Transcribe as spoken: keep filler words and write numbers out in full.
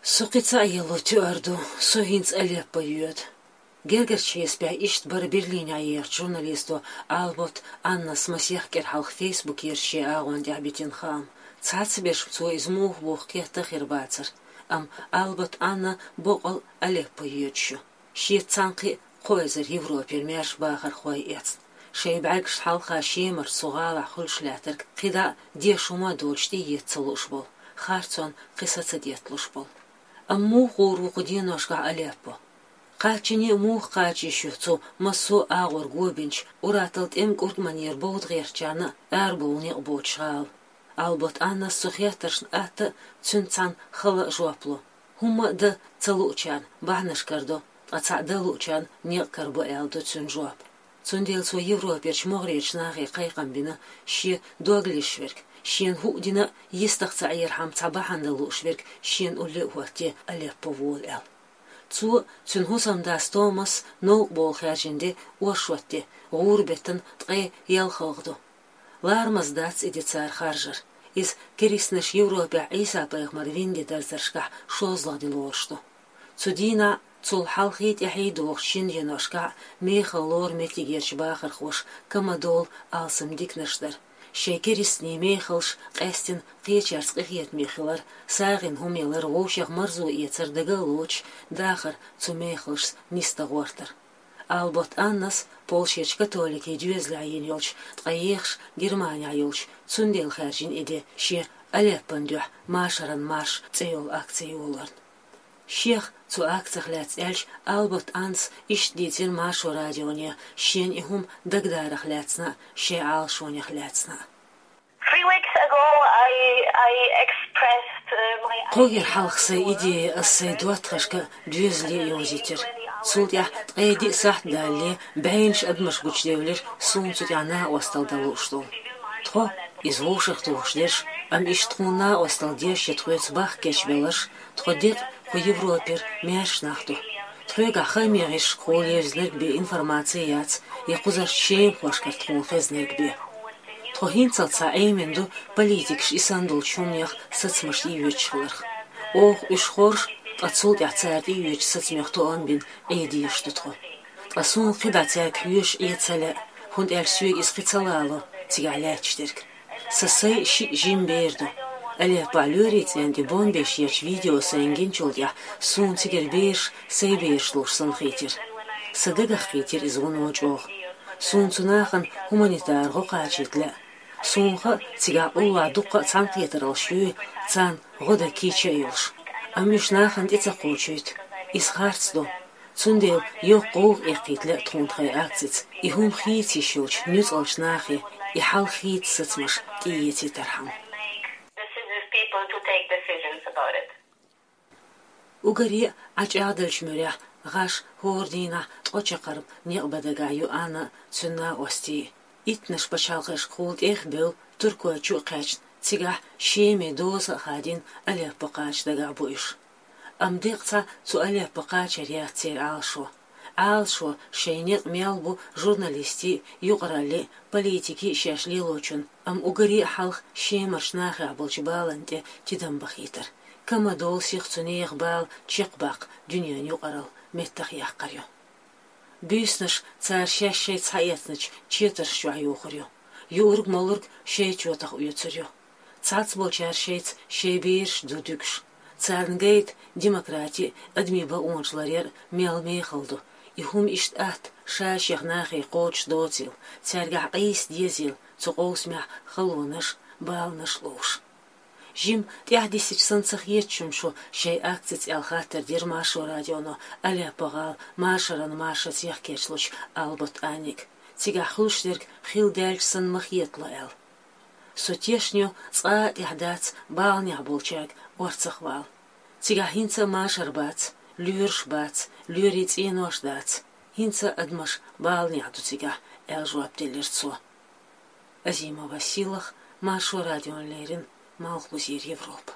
Со кхин цхьа а ело туьар ду, со хӀинца Алеппо йоьду. Гергарчу хьесапехь иштта бара Берлинехь ехачу журналисто Албот Аннас масех кӀира хьалха Фейсбукера шен агӀон тӀехь битина хаам. Цхьацца берш цо иза муха боху кхетта а хир бацара, амма Албот Анна боккъал Алеппо йоьдуш ю. Шеца цхьаьнакхин кхо эзар Европера маьрша бахархой эцна, шайн бӀаьргашна хьалха Шемара цу гӀалахь хуьлуш лаьттарг кхидӀа а деш хӀума а доцуш тӀеэца ца лууш болу, харцонна кхин са ца детталуш болу. Амма муха гӀур ву кху деношкахь Алеппо? Кхаччане а муха кхача йиш ю цу массо а агӀор го бинчу, ур-атталла тӀеман кӀуртӀманера бовда гӀертачарна а арабовла некъ боцуш гӀала? Албот Аннас цу хеттаршна атта а, цуьнца цхьаьна хала а жоп ло. ХӀумма а дан ца луучарна бахьанаш карадо, ткъа цхьаъ дан луучарна некъ карабо аьлла ду цуьнан жоп. Цундела цо Европерчу могӀарерчу нахе кхайкхам бина, шен дог лезаш верг, шена хӀуъа дина а, йистах ца Ӏерхьама цхьа бахьана дан лууш верг шена улле а хӀоттаде Алеппо волу аьлла. Цо а, цуьнан хӀусамдас Томас а новкъа бовла хаьржина де оршот де, гӀура беттан ткъе ялхалгӀа ду. Ларамаз дац и де цара харжар. Иза керистанаш Европехь Ӏийса-пайхамар вина де дарзаршкахь шозлагӀа де лоруш ду. Цу дийнахь а, цул хьалхий тӀаьхьий дохучу шина деношкахь а мехала лору меттигерчу бахархоша кама долу алсам диканаш дара. Шайн керистанийн мехаллаш къаьстина кхечаьрца къинхетаме хилар, сагӀина хӀума ялар, вовшех марзо эцар дага а лоцуш, дахар цу мехаллашца нисдан гӀортар. Албот Аннас Польшерчу католикийн доьзалехь йина йолчу, ткъа ехаш Германехь йолчу, цундела хаьржина и де шен Алеппон дуьхьа машаран марш цӀе йолу акци йолорна. Шех цу акцих лаьцна аьлча, Албот Аннас иштта дийцира Маршо радионе шена и хӀума дагадарах лаьцна а, шайн Ӏалашонех лаьцна а. Three weeks ago, I, I expressed, uh, my Кхо гергара хьалха сайн идея ас сайн доттагӀашка а, доьзале а йовзийтира. Цул тӀаьхьа ткъе диъ сахьт далале, бӀеннаш адамаш гучудевлира суна цу тӀехь накъосталла дан лууш долу. Тхо, иза вовшахтухуш дерш, амма иштта тхуна накъосталла деш я тхоьца бахка кечбелларш, тхо декъа кху Европера маьрша нах ду. Тхоьгахь хааман гӀирсашкахула евзинарг бен информаци яц, я кхузарчу шемахошкара тхуна хезнарг бен. Тхо хӀинццалц схьа Ӏемина ду политикаша и санна долчу хӀуманех сацамаш тӀеоьцуш хиларх. Оха уьш хоржу, ткъа цул тӀаьхьа цара тӀеоьцучу сацамех тоам бина Ӏе дезаш ду тхо. Ткъа суна кхидӀа цаьрга хьоьжуш Ӏе ца лаьа, хӀунда аьлча соьга иза кхин ца лало, цигахь лаьтташ дерг. Сан сайн шиъ жима бер ду. Алеппохь лоьрийн цӀенна тӀе бомбеш ечу видео сайна гиначул тӀаьхьа суна цигара бераш сайн бераш лууш санна хийтира. Сан дагах хийтира иза вуно чӀогӀа. Суна цу нахана гуманитар гӀо кхачийта лаьа. Суна хаьа, цигахь уллохь дуккха а цхьаьнакхетараллаш юй, царна гӀо дан кийча а йолуш. Амма уьш нахана тӀе ца кхочуьйту. Иза харц ду. Цундела йоккха гӀовгӀа эккхийта лаьа тхуна тхайн акцица, и хӀума хийца йиш йолчу нуьцкъалчу нахе и хьал хийца сацамаш тӀеэцийтархьама. Decisions, people to take decisions about it. Уггаре а ӀачӀагӀделлачу муьрехь гӀаш хӀора дийнахь ткъо чаккхарма некъ бан дагахь ю Анна а, цуьнан накъостий. Иттаннаш пачхьалкхашкахула тӀех а бевлла, Туркойчу а кхаьчна, цигахь Шеман доза а хадийна, Алеппо кхача дагахь бу уьш. Амма деккъа цхьа цу Алеппо кхачар яц церан Ӏалашо. Ӏалашо шайн некъ мел бу журналистийн а, юкъараллин а, политикийн а шаьш лелочун, амма уггаре а хьалха Шемарчу нахехь болчу баланна тӀе тидам бахийтар. Кама долу сиха цу нехан бала чекхбаккха дуьненан юкъаралла меттахъяккхар ю. Буьйсанаш цара шаьш шайца схьаэцначу четарш чохь йохур ю. Юург-молург шайн чотах оьцур ю. Цхьацца болчара шайца шайн бераш ду дуьгуш. Царна гайта демократи а, адамийн бакъонаш ларъяр а мел мехала ду. И хӀума иштта атта ша-шех нахе кхочуш доцийла, цаьргахь къийса дезийла цу къовсамехь халонаш а, баланаш а ловш. Жима тӀаьхьадисича санна ца хеташ шу шайн акцица аьлла хаттар дира Маршо радионо Алеппо-гӀала машаран маршаца яхкерчалучу Албот Анниг. Цигахь хуьлуш дерг хилла даьлча санна ма хетало аьлла. Со тешна ю, цкъа а тӀехь дац баланехь болчаьрга орцах вала. Цигахь хӀинца а машар бац, лоьраш бац, лоьрийн цӀенош дац. ХӀинца а адамаш баланехь ду цигахь, аьлла жоп делира цо. Азимова Сийлаха, Маршо радиона леррина, Малхбузера Европа.